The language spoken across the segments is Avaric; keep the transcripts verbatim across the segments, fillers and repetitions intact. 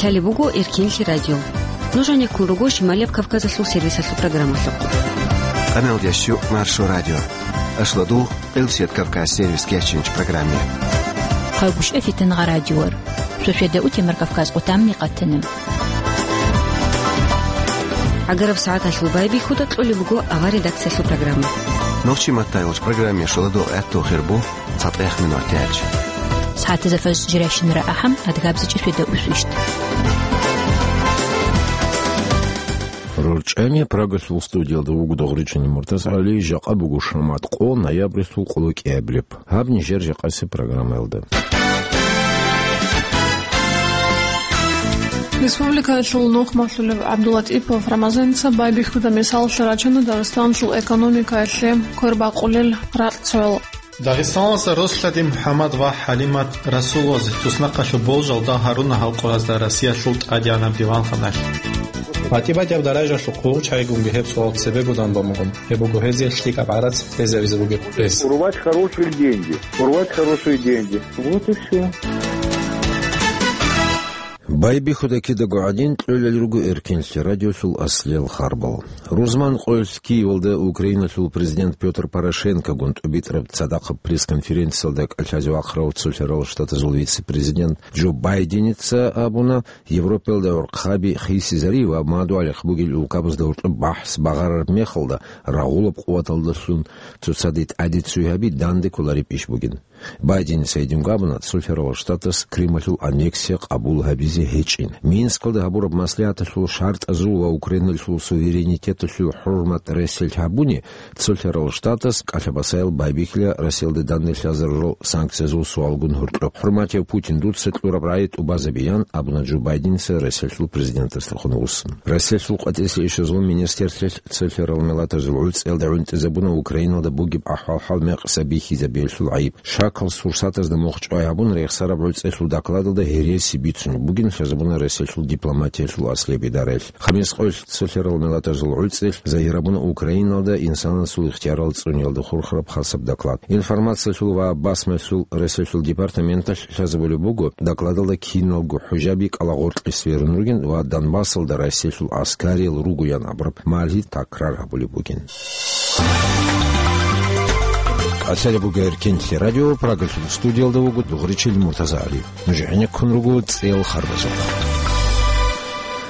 Лъалеб буго Эркинлъи радио. Нуж гьанеккун руго Шималияб Кавказалъул сервисалъул программалъухъ. Къамелдящу Маршо радио. Ашладу Къилсият Кавказ сервис кечинч программе. Хъалгушев Фитангъа радиор. Шошеда утемар Кавказ къутамни къатана. Агараб сагӀаталъул байбихьуда кьолеб буго авар редакциялъул программа. Нохчи маттайолч программе шоладо гӀатту хирбу. ЦатӀех минутач. СагӀатазда фажр жирайщинара ахӀам, адгабзичӀеб шведа усвищ. РорчӀами Прагалъул студиялда вуго Дагъричани МуртазагӀали, жакъа буго шамат къо, ноябрьалъул къоло кӀиабилеб. Гьаб нижер жакъасеб программаялда. Республикаялъул нухмалъулев ГӀабдуллатӀипов Рамазаница байбихьуда мисаллъи рачана Дагъистаналъул экономикаялъе квербакъулел ракьцоял. Дагъистаналдаса Рослъади МухӀаммад ва ХӀалимат Расуловаз туснахъалъув болжал дагь гьаруна гьалкъуразда Россиялъул тӀадегӀанаб диванханалъ. БатӀи-батӀияб даражалъухъ гъурччайгунги гьеб суал цебегодан бамугъун, гьеб буго гьезие лъикӀаб гӀарац кьезавизе бугеб рес. Урвать хорошие деньги, урвать хорошие деньги. Вот и всё. Байбихьуда кидаго гӀадин кьолел руго Эркинлъи радиолъул аслиял харбал. Рузман къоялъ Киевалда Украиналъул президент Пётр Порошенкогун тӀубитӀараб цадахъаб пресс-конференциялда кӀалъазе вахъарав Цолъарал Штатазул вице-президент Джо Байденица абуна, Европаялда гӀурхъаби хисизари ва мадугӀалихъ бугел улкабазда гьоркьоб бахӀс багъарараб мехалда рагъулаб къуваталдалъун цоцаде тӀаде цой гьаби данде кколареб иш бугин. Байденица гьединго абуна, Цолъарал Штатас Крималъул аннексия къабул гьабизе гьечӀин. Минскалда гьабураб маслигӀаталъул шартӀазул ва Украиналъул суверенитеталъул хӀурмат ресел гьабуни, Цолъарал Штатас кӀалъабасаял байбихьила Россиялда данде лъазарурал санкциязул суалгун гьоркьоб. ХӀурматияв Путин, дуца кьураб рагӀи тӀубазабиян, абуна Джо Байденица Россиялъул президентасдехун вуссун. Россиялъул къватӀиса ишазул министрлъи Цолъарал миллатазул гӀуцӀиялда гӀунтӀизабуна Украиналда бугеб ахӀвал-хӀал мекъса бихьизабиялъул гӀайиб. Шакал сурсатазда мухъ чӀвай гьабун, рехсараб гӀуцӀиялъул докладалда гьереси бицунеб бугин лъазабуна Россиялъул дипломатиялъул аслияб идараялъ. Хамис къоялъ Цолъарал миллатазул гӀуцӀиялъ загьирабуна Украиналда инсанасул ихтиярал цӀуниялда хурхараб хасаб доклад. Информациялъул ва басмалъул Россиялъул департаменталъ лъазабулеб буго, докладалда киналго хӀужаби кӀалагъоркье сверун ругин ва Донбассалда Россиялъул аскариял ругоян абураб малъи такрар гьабулеб бугин. КӀалъалеб буго Эркинлъи радио, Прагалъул студиялда вуго Дугъричил МуртазагӀали. Нуж гӀенеккун руго цӀел харбазухъ.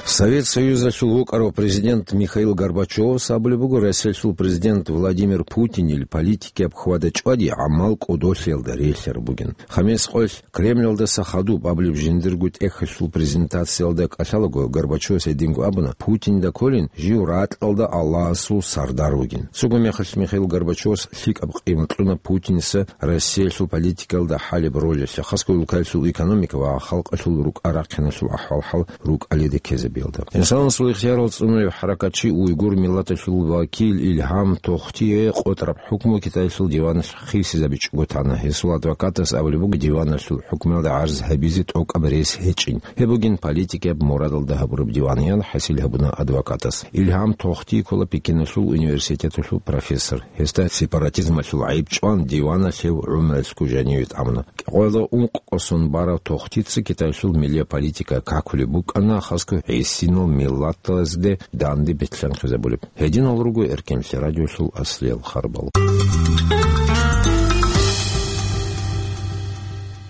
Совет Союзалъул вукӀарав президент Михаил Горбачевас абулеб буго, Россиялъул президент Владимир Путинил политикияб хьвада-чӀвади гӀамал кӀодолъиялда релълъараб бугин. Хамис къоялъ Кремльалдаса хадуб абулеб жиндирго тӀехьалъул презентациялда кӀалъалаго, Горбачевас гьединго абуна, Путинда кколин жив ракьалда Аллагьасул сардар вугин. Цого мехалъ Михаил Горбачевас лъикӀаб къимат кьуна Путиница Россиялъул политикаялда хӀалеб ролалъе, хасго улкаялъул экономика ва халкъалъул рукӀа-рахъиналъул ахӀвал-хӀал рукӀалида ккезабиялда. Инсанасул ихтиярал цӀунулев хӀаракатчи, уйгур миллаталъул вакил Илгьам Тохтие къотӀараб хӀукму Китаялъул диваналъ хисизабичӀого тана. Гьесул адвокатас абулеб буго, диваналъул хӀукмуялда гӀарз гьабизе тӀокӀаб рес гьечӀин. Гьеб бугин политикияб мурадалда гьабураб диван, ян хӀасил гьабуна адвокатас. Илгьам Тохти ккола Пекиналъул университеталъул профессор. Гьесда сепаратизмалъул гӀайиб чӀван, диваналъ гьев гӀумруялъго жаниве тӀамуна. Къоялда ункъкӀосон барав Тохтица Китаялъул миллия политика какулеб букӀана, хасго гӀисинал миллатазде данде бетӀлъанхъизабулеб. Гьединал руго Эркинлъи радиолъул аслиял харбал.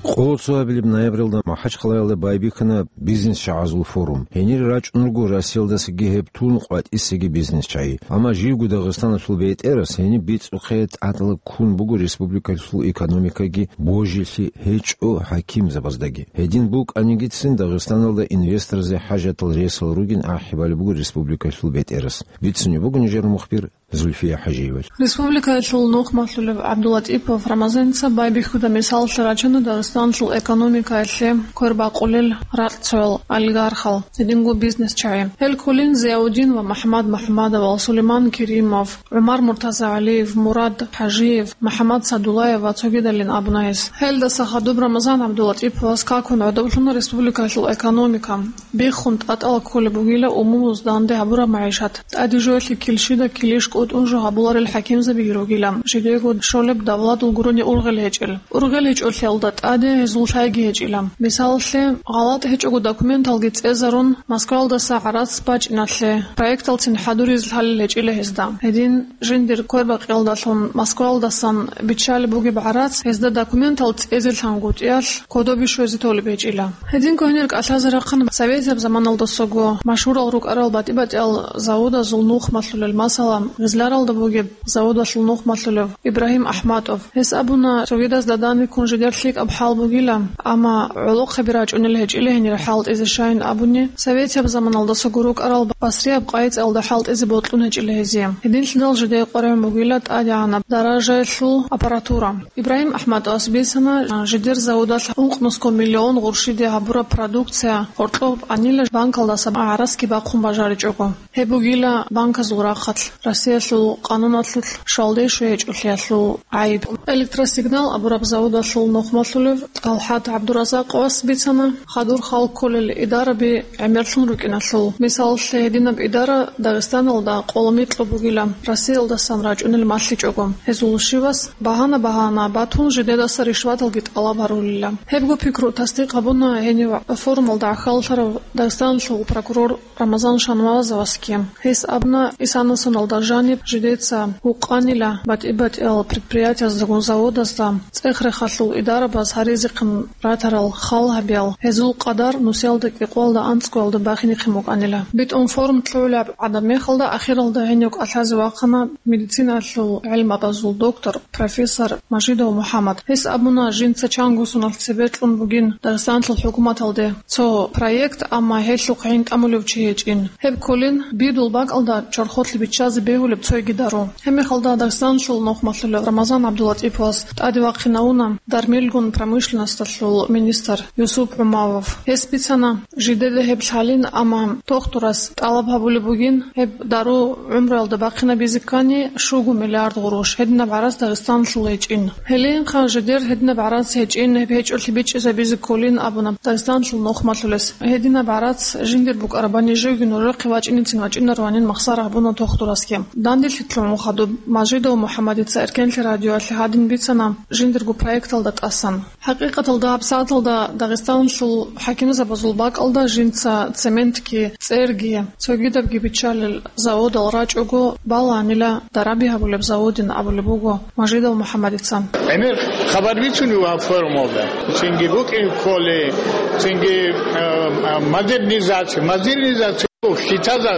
Къоло цоабилеб ноябралда МахӀачхъалаялда байбихьана бизнес-чагӀазул форум. Гьенир рачӀун руго Россиялдасаги гьеб тун къватӀисаги бизнес-чагӀи. Амма живго Дагъистаналъул бетӀерас гьениб бицӀухъе тӀадала ккун буго республикалъул экономикаги божилъи гьечӀо хӀакимзабаздаги. Гьедин букӀанигицин Дагъистаналда инвесторзе хӀажатал ресал ругин ахӀи балеб буго республикалъул бетӀерас. Бицунеб буго нижер мухбир Зульфия ХӀажиева. Республикаялъул нухмалъулев ГӀабдуллатӀипов Рамазаница байбихьуда мисаллъи рачана Дагъистаналъул экономикаялъе квербакъулел ракьцоял, олигархал, гьединго бизнес-чагӀи. Гьел кколин Зияудин ва МухӀаммад МухӀаммадовал, Сулейман Керимов, ГӀумар МуртазагӀалиев, Мурад ХӀажиев, МухӀаммад Садуллаев ва цогидалин абуна гьес. Гьелдаса хадуб Рамазан ГӀабдуллатӀиповас какун гӀодоблъуна республикаялъул экономика. Биххун тӀатӀала кколеб бугила умумуз данде гьабураб магӀишат. ТӀаде жоялъе килщида килищ бутӀун жо гьабуларел хӀакимзабиги ругила, жидего щолеб давладул гурони ургъел гьечӀел. Ургъел гьечӀолъиялда тӀаде гьезул лъайги гьечӀила. Мисалалъе, гъалатӀ гьечӀого документалги цӀезарун, Москваялдаса гӀарац бачӀиналъе, проекталцин хӀадуризел лъалел гьечӀила гьезда. Гьедин жиндир квербакъиялдалъун Москваялдасан биччалеб бугеб гӀарац гьезда документал цӀезелъан гутӀиялъ кодобе щвезе толеб гьечӀила. Гьединго гьенир кӀалъазе рахъана советияб заманалдасаго машгьурал рукӀарал батӀи-батӀиял заводазул нух малъулел, масала, Гъизларалда бугеб заводалъул нух малъулев Ибрагьим АхӀматов. Гьес абуна, цогидазда данде ккун жидер лъикӀаб хӀал бугила, амма гӀолохъаби рачӀунел гьечӀила гьенир хӀалтӀизе, щайин абуни, советияб заманалдасаго рукӀарал басрияб къайи-цӀалда хӀалтӀизе бокьун гьечӀила гьезие. Гьединлъидал жидее къваригӀун бугила тӀадегӀанаб даражаялъул аппаратура. Ибрагьим АхӀматовас бицана, жидер заводалъ ункънусго миллион гъурщиде гьабураб продукция гьоркьоб анила банкалдаса гӀарасги бахъун бажаричӀого. Гьеб бугила банказул рахъалъ, Россиялъул къануналъулъ щвалде щвей гьечӀолъиялъул гӀайиб. Электросигнал абураб заводалъул нух малъулев ТӀалхӀат ГӀабдуразакъовас бицана, хадур хал кколел идараби гӀемерлъун рукӀиналъул. Мисалалъе, гьединаб идара Дагъистаналда къоло микьго бугила, Россиялдасан рачӀунел малъичӀого. Гьезул щивас багьана-багьана батун, жидедаса ришваталги тӀалаб гьарулила. Гьебго пикру тасдикъ гьабуна гьенив форумалда гӀахьаллъарав Дагъистаналъул прокурор Рамазан Шанмазовасги. Гьес абуна, исана соналда жаниб жидеца гьукъанила батӀи-батӀиял предприятияздагун заводазда цӀех-рехалъул идарабаз гьаризехъин ратарал хал гьабиял, гьезул къадар нусиялда кӀикъоялда анцӀгоялда бахинехъин букӀанила. БитӀун форум лъугӀулеб гӀадаб мехалда ахиралда гьенив кӀалъазе вахъана медицинаялъул гӀилмабазул доктор, профессор Мажидов МухӀаммад. Гьес абуна, жинца чангу соналъ цебе кьун бугин Дагъистаналъул хӀукуматалде цо проект, амма гьелъухъ гӀин тӀамулев чи гьечӀин. Гьеб кколин, бидул бакӀалда чорхолъи биччазе бегьулеб цойги дару. Гьебмехалда Дагъистаналъул нух малъулев Рамазан ГӀабдулатӀиповас тӀаде вахъинавуна дармилгун промышленносталъул министр Юсуп ГӀумавов. Гьес бицана, жидеда гьеб лъалин, амма дохтурас тӀалаб гьабулеб бугин, гьеб дару гӀумруялда бахъинабизе ккани, щуго миллиард гъурущ, гьединаб гӀарац Дагъистаналъул гьечӀин. Гьелинха жидер гьединаб гӀарац гьечӀин, гьеб гьечӀолъи бичӀчӀизабизе кколин абуна Дагъистаналъул нух малъулес. Гьединаб гӀарац жиндир букӀарабани живги нужехъе вачӀинецин вачӀинарванин махсар гьабуна дохтураскин. Данделъи лъугӀун хадуб Мажидов МухӀаммадица Эркенлъи радиоялъе гьадин бицана жиндирго проекталда тӀасан. ХӀакъикъаталда гьабсагӀаталда Дагъистаналъул хӀакимзабазул бакӀалда жинца цементги, цӀерги, цогидабги биччалел заводал рачӀого балагьанила дараби гьабулеб заводин абулеб буго Мажидов МухӀаммадица. ГӀемер хабар бицунев гьаб форумалда. Цинги букӀин кколей, цинги, э, э, модернизация, модернизация. Хитаза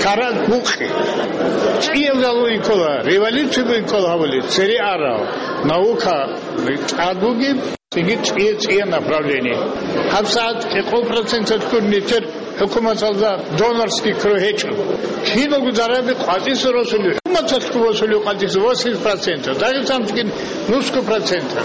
карат букъи. ЦӀиязалуй ккола, революцияб ккола гьабули, цере арав, наука тӀад бугеб, цинги цӀия-цӀия направление. ГьабсагӀат кӀикъо проценталъ гур нетер хӀукуматалда донорский круг гьечӀо. Киналго дараби къватӀиса росулев, хӀукуматалъго босулев къватӀиса восемьдесят процентов. Дагъистаналъгин нусго процентов.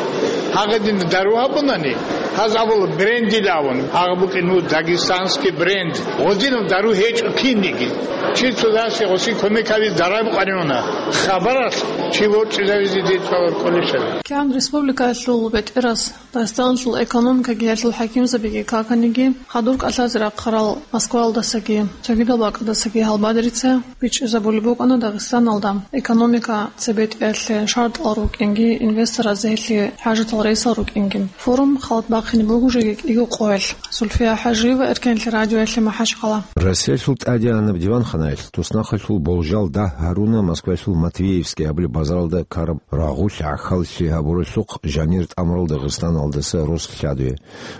Гьагадин дару гьабунани, гьаз абула брендил абун, гьагъа букӀин ну дагестанский бренд. Гъодинаб дару гьечӀо кинниги. Чи цодасе гъосин кумекаби дараб къваригӀуна. Хабаралъ чи ворчӀизавизе децӀалар кӀолищали. КигӀан республикаялъул бетӀерас, Дагъистаналъул экономикаги гьелъул хӀакимзабиги каканиги, хадур кӀалъазе рахъарал Москваялдасаги, цогидал бакӀалдасаги гьалбадерица бичӀчӀизабулеб букӀана Дагъистаналда экономика цебетӀиялъе шартӀал рукӀинги, инвестораз гьелъие хӀажатал рейсал рукӀинги. Форум халат бахъине буго жеги кӀиго къоялъ. Зульфия ХӀажиева, Эркенлъи радиоялъе, МахӀачхъала. Россиялъул тӀадегӀанаб диванханаялъ туснахъалъул болжал дагь гьаруна Москваялъул Матвеевский абулеб базаралда ккараб рагъулъ гӀахьаллъи гьабуралъухъ жанир тӀамурал Дагъистаналдаса рос лъадуе.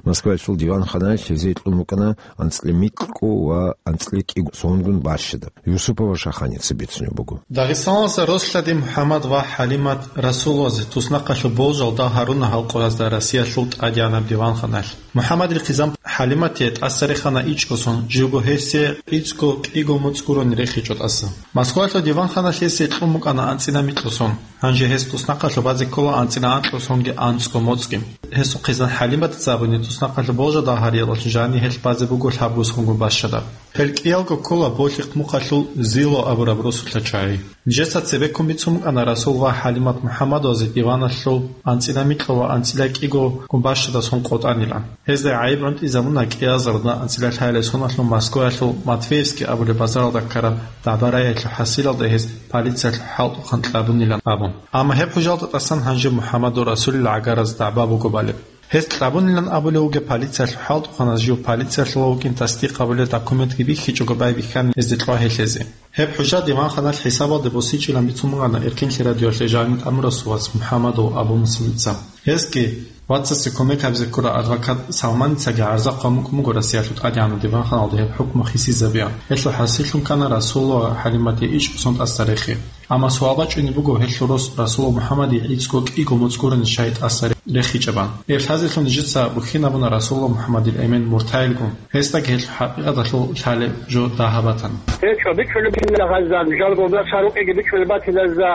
Москваялъул диванханаялъ гьезие кьун букӀана анцӀила микьго ва анцӀила кӀиго сонгун бащадаб. Юсупова Шаханица бицунеб буго. Дагъистаналдаса рос лъади МухӀаммад ва ХӀалимат Расуловазе туснахъалъул болжал дагь гьаруна гьал къоязда Россиялъул тӀадегӀанаб диванханаялъ. МухӀаммадил хъизан ХӀалиматие тӀаса рехана ичӀго сон, живго гьесие кӀицӀго кӀиго моцӀ гурони рехичӀо тӀаса. Москваялъул диванханалъ гьесие кьун букӀана анцӀила микьго сон. Гьанже гьес туснахъалъуб базе ккола анцӀила анкьго сонги анцӀго моцӀги. Гьесул хъизан ХӀалиматица абуни, туснахъалъуб болжал дагь гьариялъул жанир гьелъ базе буго лъабго сонгун бащадаб. Гьел кӀиялго ккола Болъихъ мухъалъул Зило абураб росулъа чагӀи. Нижеца цебеккун бицун букӀана Расул ва ХӀалимат МухӀаммадовазе диваналъул анцӀила микьго ва анцӀила кӀиго гумбащадасун къотӀанилан. Гьезда гӀайиб гӀунтӀизабуна кӀиазарда анцӀила лъаялесуналъул Москваялъул Матвеевский абулеб базаралда ккараб дагӀба-рагӀиялъул хӀасилалда гьез полициялъул хӀалтӀухъан кьабунилан абун. Амма гьеб хӀужалда тӀасан гьанже МухӀаммадул Расулил гӀагараз дагӀба буго балеб. Гьез кьабунилан абулев вугеб полициялъул хӀалтӀухъаназ жив полициялъула вукӀин тасдикъ гьабулел документги бихьичӀого байбихьани гьезде кьвагьелъезе. Гьеб хӀужа диванханалъ хӀисабалде босичӀилан бицун бугана Эркинлъи радиоялъе жаниб тӀамурасул вац МухӀаммадул Абу Муслимица. Гьезги вацасе кумек гьабизе ккурав адвокат Салманицаги гӀарза хъван букӀун буго Россиялъул тӀадегӀанав диванханалда гьеб хӀукму хисизабиан. Гьелъул хӀасиллъун ккана Расул ва ХӀалиматие ичӀго сон тӀаса рехи. Амма суал бачӀунеб буго гьелъул рос Расул МухӀаммадие гӀицӀго кӀиго моцӀ гурони щай тӀаса рехичӀебан. Гьеб лъазелъун нижеца бухьинабуна Расул МухӀаммадил эмен муртайилгун. Гьесдаги гьелъул хӀакъикъаталъул лъалеб жо дагьаб батана. ГьечӀо, бичӀчӀулеб батила гьазда, жалго гьесда рукъиги бичӀчӀулеб батила гьезда,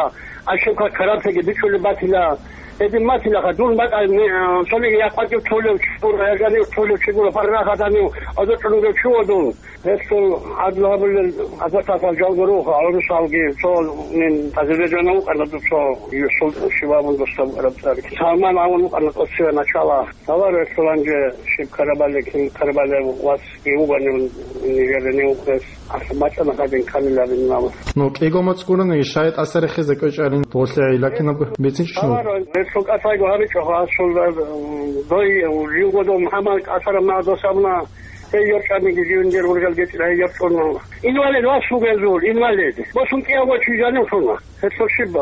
ошибка каратеги бичӀчӀулеб батила. Гьедин батилаха, дун бакӀа, цониги якъватив толев чи гуро, я жанив толев чи гуро, паргъат гьанив, аза чӀунурев чи вуго дун. Гьелъул гӀадлу гьабулел адвокатал жалго руго, гӀурусалги, цо нин Азербайджанав вукӀана, цо Юсуп щибаб досда букӀараб цӀар. Салман абун вукӀана тӀоцеве начала. Гьалар гьелъул гьанже щиб ккарабали, кин ккарабали вацги вугони Нижерде вукӀес. Ахъ, бачӀана гьадин камилабин мама. Ну, кӀиго моцӀ гурони щай тӀаса рехизе кӀвечӀарин, гъолъи гӀилакинабго бицинчӀо. Гьалар гьелъул кӀалъайго гьабичӀо, гьасул, дой, живго дов МухӀаммад кӀалъараб магӀа досабна. Гьей йорчӀаниги живиндир ургал гьечӀила, гьей йорчӀун. Инвалид вас вугезул, инвалид. Босун кӀиявго чи жанив лъуна. Гьелъул щиб,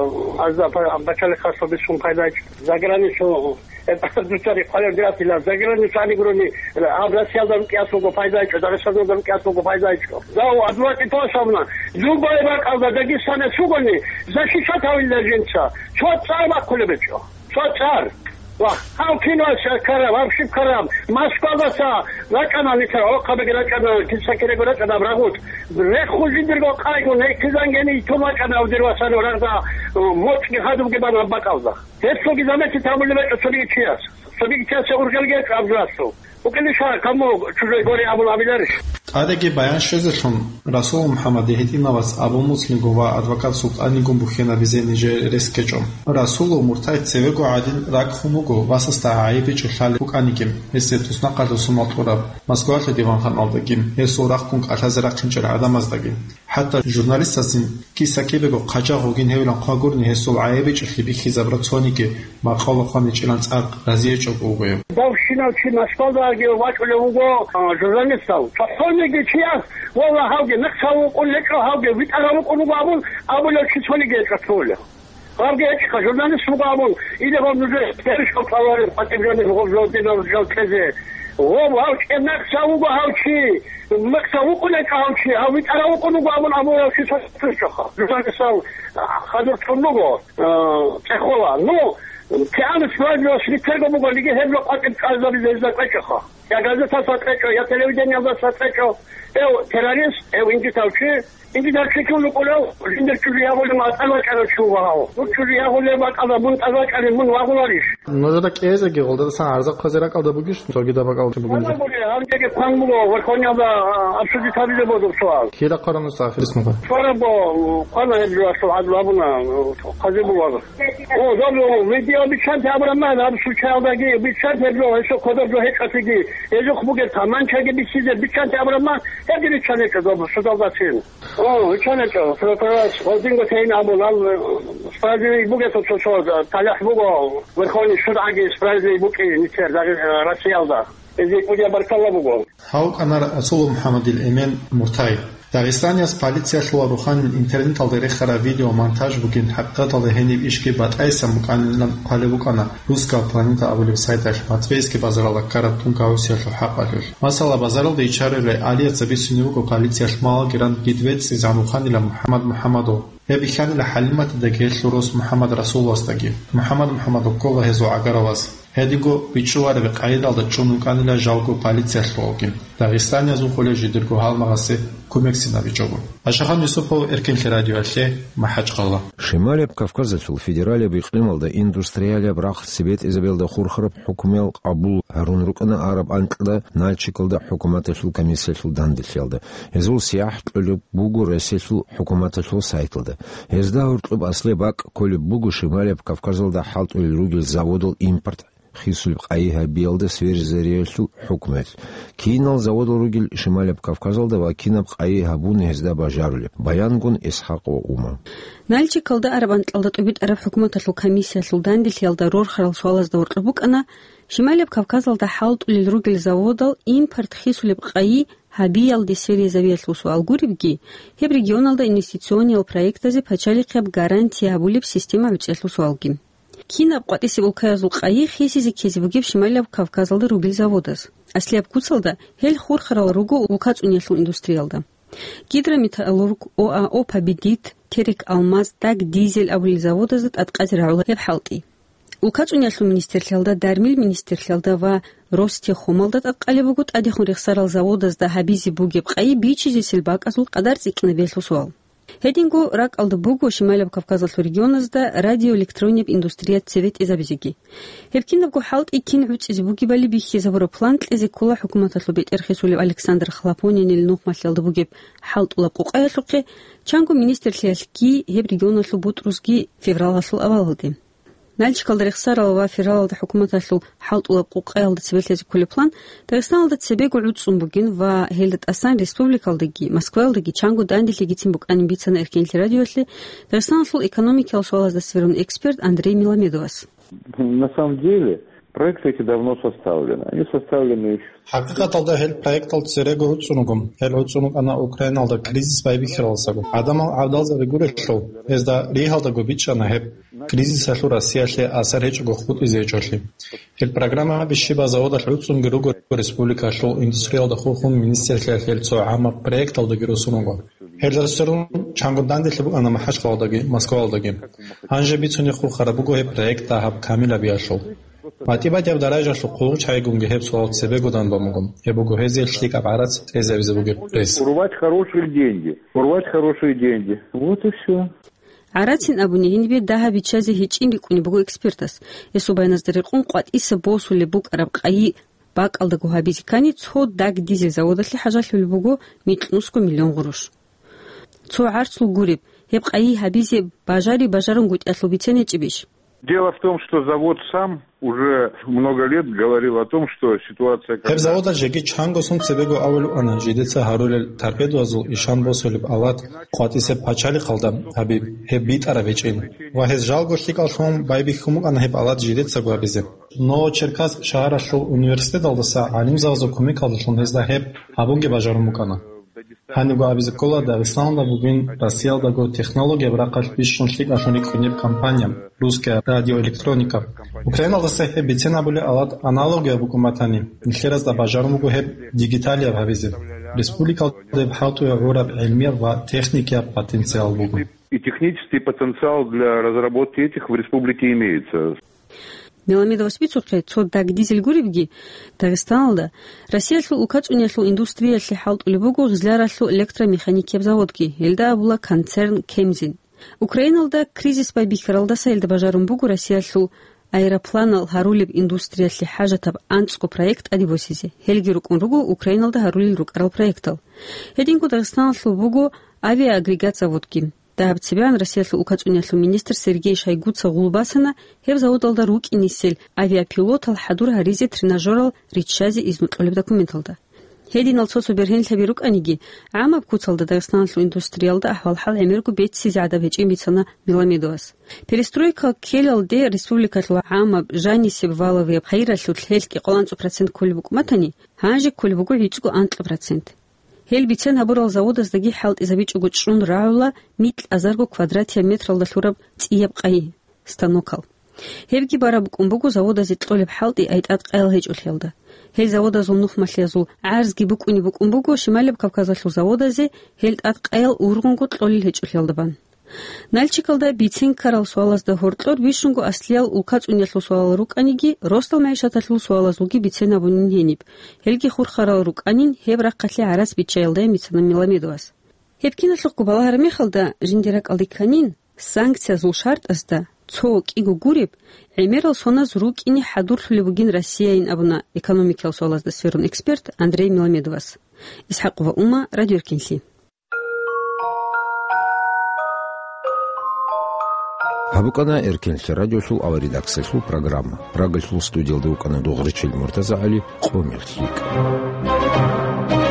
азда пай-, бачалихъалъул бицун пайдайчӀо. Заграницу, э, дуцари хъвалев диратила. Заграницу ани гурони, гьаб Россиялда рукӀиялъулго пайдайчӀо, Дагъистаналда рукӀиялъулго пайдайчӀо. Дав адвокат тосабна. Любой бакӀалда Дагестанец вугони, защищать гьавила жинца. Цо цӀар бахъулеб гьечӀо. Цо цӀар. Ва гьав киналъ ккараб, гьав щиб ккараб, Москвалдаса рачӀана нилъер гӀолохъабиги рачӀана, киса-кирего рачӀана абрагъут. Рехун жиндирго къайгун, гьей хъизангени йитун вачӀана гьав дир васану рагъда, э, моцӀги хадубги бан гьаб бакӀалда. Гьелъулги заметить гьабулеб гьечӀо цониги чияс. Цониги чиясе ургелги гьечӀо абзураслъун. Укилиша, кому чужой горе абун абиларищ? ТӀадеги баян щвезелъун, Расул МухӀаммадие гьитӀинав вас Абу Муслимгун ва адвокат СултӀанигун бухьинабизе нижер рес ккечӀо. Расулул муртайи цевего гӀадин ракӀ хун вуго, васасда гӀайиб бичӀчӀулъалеб букӀаниги, гьесие туснахъалъув сунал кьураб Москвалъул диванханалдаги, гьесул рахъун кӀалъазе рахъинчӀел гӀадамаздаги. ХӀатта журналистаздин киса-кибего хъачагъ вугин гьевилан хъвагурни гьесул гӀайиб бичӀчӀулъи бихьизабураб цониги макъала хъваничӀилан цӀакъ разиячӀого вуго гьев. Давщинав чи Москвалдаги вачӀулев вуго, а, журналистав. ЦохӀониги чияс, валла, гьавги мекъсав вукӀун гьечӀо, гьавги витӀарав вукӀун вуго абун абулев чи цониги гьечӀо цоулев. Гьавги гьечӀеха, журналист вуго абун, или гьав нужее перешкод товарищ, патӀибжанир гьав жодинав жал кьезе. Гьав, гьав чӀемекъсав вуго гьав чи, мекъсав вукӀун гьечӀо гьав чи, гьав витӀарав вукӀун вуго абун абулев чи цо-, цо-, чӀоха. Журналистав хадур тун буго. А, цӀехола. Ну, кигӀан справедливость рицарго буго, лиги гьеб жо къватӀиб чӀвазабизе гьезда кьечӀоха. Я газеталъа кьечӀо, я телевидениялдаса кьечӀо. Эв террорист, эв инжитав чи, инжитав чи ккун вукӀулев, жиндир чӀужу ягъулев ма тӀад вачӀарав чи вуго гьав. Мун чӀужу ягъулев бакӀалда мун тӀад вачӀани мун вагъуларищ? Нужеда кӀезеги, гъолдасан гӀарза хъвазе ракӀалда бугищ, цогидаб бакӀалда бугин жо? Гьанжеги хъван буго, Верховнияда, а, обсудить гьабизе бозул суал. Кида хъвараб нуж ахирисмуха? Хъвараб, хъвана гьеб жо, асул гӀадлу абуна, хъазе буго. О, добро, видео биччанте абураб ман, гьаб случаялдаги биччанте гьеб жо, гьесул кодоб жо гьечӀолъиги, гьезухъ бугеб таманчаги бицизе биччанте абураб ман, гьебги биччан гьечӀо, добро, судалдацин. О, биччан гьечӀо, прокурорас гьодинго тейин абун, ал, справедливый бугесул цо, цо, талихӀ буго, Верховный судгӀаги справедливый букӀи, нилъер Дагъи-, Россиялда. Гьезие кӀудияб баркалла буго. Гьав вукӀана Расулов МухӀаммадил эмен муртайи. Дагъистаниялъ полициялъул рухӀанин интернеталда рехараб видео монтаж бугин, хӀакъикъаталда гьениб ишги батӀайсан букӀанилан хъвалеб букӀана «Русская планета» абулеб сайталъ Матвейский базаралда ккараб тункаусиялъул хӀакъалъулъ. Масала, базаралда ичарай Алияца бицунеб буго полициялъ малагиран гид вецӀцӀизан вуханила МухӀаммад МухӀаммадов. Гьеб бихьанила ХӀалиматидаги гьелъул рос МухӀаммад Расуловасдаги. МухӀаммад МухӀаммадов ккола гьезул гӀагарав вас. Гьединго бичӀчӀулареб къайдалда чӀун вукӀанила жалго полициялъувалги. Дагъистаниязул хъулев жидерго гьалмагъасе кумекцин абичӀого. Ашахан Юсупов, Эркенлъи радиоялъе, МахӀачхъала. Шималияб Кавказалъул федералияб икълималда индустриалияб рахъ цебетӀезабиялда хурхараб хӀукмуял къабул гьарун рукӀана араб анкьда Нальчикалда хӀукуматалъул комиссиялъул данделъиялда. Гьезул сияхӀ кьолеб буго Россиялъул хӀукуматалъул сайталда. Гьезда гьоркьоб аслияб бакӀ кколеб буго Шималияб Кавказалда хӀалтӀулел ругел заводал импорт хисулеб къайи гьабиялда Сверизаводиялъул хӀукмуялъ. Кинал заводал ругел Шималияб Кавказалда ва кинаб къайи гьабуна гьезда бажарулеб, баянгун Исхакъ ва Ума. Нальчикалда араб анкьалда тӀубитӀараб хӀукуматалъул комиссиялъул данделъиялда рорхарал суалазда гьоркьоб букӀана, Шималияб Кавказалда хӀалтӀулел ругел заводал импорт хисулеб къайи гьабиялде Сверизаводиялъул суал гуребги, гьеб регионалда инвестициониял проектазе пачалихъияб гарантия гьабулеб система гӀуцӀиялъул суалги. Кинаб къватӀисеб улкаязул къайи хисизе ккезе бугеб Шималияб Кавказалда ругел заводаз? Аслияб куцалда гьел хурхарал руго улкацӀуниялъул индустриялда. Гидрометаллург, ОАО «Победит», Терек-Алмаз, ТӀаг-Дизель абулел заводазда тӀадкъазе рагӀула гьеб хӀалтӀи. УлкацӀуниялъул министрлъиялда, дармил министрлъиялда ва Ростехомалда тӀадкъалеб буго тӀадехун рехсарал заводазда гьабизе бугеб къайи бичизесел бакӀазул къадар цӀикӀкӀинабиялъул суал. Гьединго ракӀалда буго Шималияб Кавказалъул регионазда радиоэлектронияб индустрия цебетӀезабизеги. Гьеб кинабго хӀалтӀи кин гӀуцӀизе бугебали бихьизабураб план кьезе ккола хӀукуматалъул бетӀер хисулев Александр Хлопонинил нухмалъиялда бугеб хӀалтӀулаб къукъаялъухъе, чанго министрлъиялъги гьеб регионалъул бутӀрузги февралалъул авалалде. Нальчикалда рехсарал ва февралалда хӀукуматалъул хӀалтӀулаб къукъаялда цебе лъезе кколеб план Дагъистаналда цебего гӀуцӀун бугин ва гьелда тӀасан республикалдаги, Москваялдаги чанго данделъигицин букӀанин бицана Эркенлъи радиоялъе Дагъистаналъул экономикиял суалазда цебе рун эксперт Андрей Миламедовас. На самом деле, проекты эти давно составлены. Они составлены ещё ХӀакъикъаталда гьел проектал церего гӀуцӀун руго. Гьел гӀуцӀун рукӀана Украиналда кризис байбихьаралдасаго. ГӀадамал гӀадалзаби гурелъул, гьезда ригьалдаго бичӀчӀана гьеб кризисалъул Россиялъе асар гьечӀого хутӀизе гьечӀолъи. Гьел программаби щибаб заводалъ гӀуцӀунги руго, республикалъул индустриялда хурхун министрлъиялъ гьел цо гӀамаб проекталдаги росун руго. Гьелдаса рун чанго данделъи букӀана МахӀачхъалалдаги Москваялдаги. Гьанже бицунеб хурхараб буго гьеб проект дагьаб камилабиялъул. МатӀибатияб даражалъул хъугъ чагӀигунги гьеб суал цебего данбан буго. Гьеб буго гьезие лъикӀаб гӀарац тӀезабизе бугеб рес. Урвать хорошие деньги. Урвать хорошие деньги. Вот и всё. ГӀарацин абуни гьенибе дагьаб биччазе гьечӀин рикӀкӀунеб буго экспертас. Гьесул баяназда рекъон къватӀиса босулеб букӀараб къайи бакӀалдаго гьабизе ккани, цо даг дизель заводалъе хӀажалъулеб буго микьнусго миллион гъурущ. Цо гӀарцул гуреб, гьеб къайи гьабизе бажари-бажарунгутӀиялъул бицен гьечӀебищ? Дело в том, что завод сам уже много лет говорил о том, что ситуация... Гьеб заводалъ жеги чанго сон цебего абулеб бугоан, жидеца гьарулел торпедоязул ишан босулеб алат къватӀисеб пачалихъалда гьабиб, гьеб битӀараб гьечӀин. Ва гьез жалго лъикӀаллъун байбихьун букӀана гьеб алат жидецаго гьабизе. Новочеркасск шагьаралъул университеталдаса гӀалимзабазул кумекалдалъун гьезда гьеб гьабунги бажарун букӀана. Гьанибго абизе ккола, Дагъистаналда бугин Россиялдаго технологияб рахъалъ бищун лъикӀалъун рикӀкӀунеб компания «Русская радиоэлектроника». Украиналдаса гьеб бицен абулеб алат аналогаяб букӀун батани, нилъеразда бажарун буго гьеб дигиталияб гьабизе. Республикалда гьеб хӀалтӀуе гӀураб гӀилмияб ва техникияб потенциал буго. И технический потенциал для разработки этих в республике имеется. Меламедовас бицухъе, цо даг дизель гуребги, Дагъистаналда Россиялъул улкацӀуниялъул индустриялъе хӀалтӀулеб буго Гъизляралъул электромеханикияб заводги, гьелда абула концерн «Кемзин». Украиналда кризис байбихьаралдаса гьелда бажарун буго Россиялъул аэропланал гьарулеб индустриялъе хӀажатаб анцӀго проект тӀаде босизе. Гьелги рукӀун руго Украиналда гьарулел рукӀарал проектал. Гьединго Дагъистаналъул буго авиаагрегат заводги. Дагьаб цебегӀан Россиялъул улкацӀуниялъул министр Сергей Шойгуца гъул босана гьеб заводалда рукӀинесел авиапилотал хӀадур гьаризе тренажерал риччазе изну кьолеб документалда. Гьединал цо-цо бергьенлъаби рукӀаниги, гӀамаб куцалда Дагъистаналъул индустриялда ахӀвал-хӀал гӀемерго беццизе гӀадаб гьечӀин бицана Меламедовас. Перестройка ккелалде республикалъул гӀамаб жанисеб валавияб хайиралъулъ гьелъ кӀикъоялда анцӀго процент кколеб букӀун батани, гьанже кколеб буго гӀицӀго анкьа процент. Гьел бицен гьабурал заводаздаги хӀалтӀизабичӀого чӀун рагӀула микь азарго квадратияб метралда лъураб цӀияб къайи, станокал. Гьебги бараб букӀун буго заводазе кьолеб хӀалтӀи ай тӀадкъаял гьечӀолъиялда. Гьел заводазул нухмалъиязул гӀарзги букӀунеб букӀун буго Шималияб Кавказалъул заводазе гьел тӀадкъаял ургъунго кьолел гьечӀолъиялда бан. Нальчикалда бицен ккарал суалазда гьоркьор бищунго аслиял улкацӀуниялъул суалал рукӀаниги, росдал мягӀишаталъул суалазулги бицен абунин гьениб. Гьелги хурхарал рукӀанин гьеб рахъалъе гӀарац биччаялдайин бицана Меламедовас. Гьеб киналъухъго балагьараб мехалда, жиндир ракӀалде кканин, санкциязул шартӀазда цо кӀиго гуреб гӀемерал соназ рукӀине хӀадурлъулеб бугин Россияйин абуна экономикиял суалазда сверун эксперт Андрей Меламедовас. ИсхӀакъова Ума, Радио Эркинлъи. Гьаб букӀана Эркинлъи радиолъул аваридаксалъул программа. Прагалъул студиялда вукӀана Дугъричил МуртазагӀали, къо мехалъ йикӀа.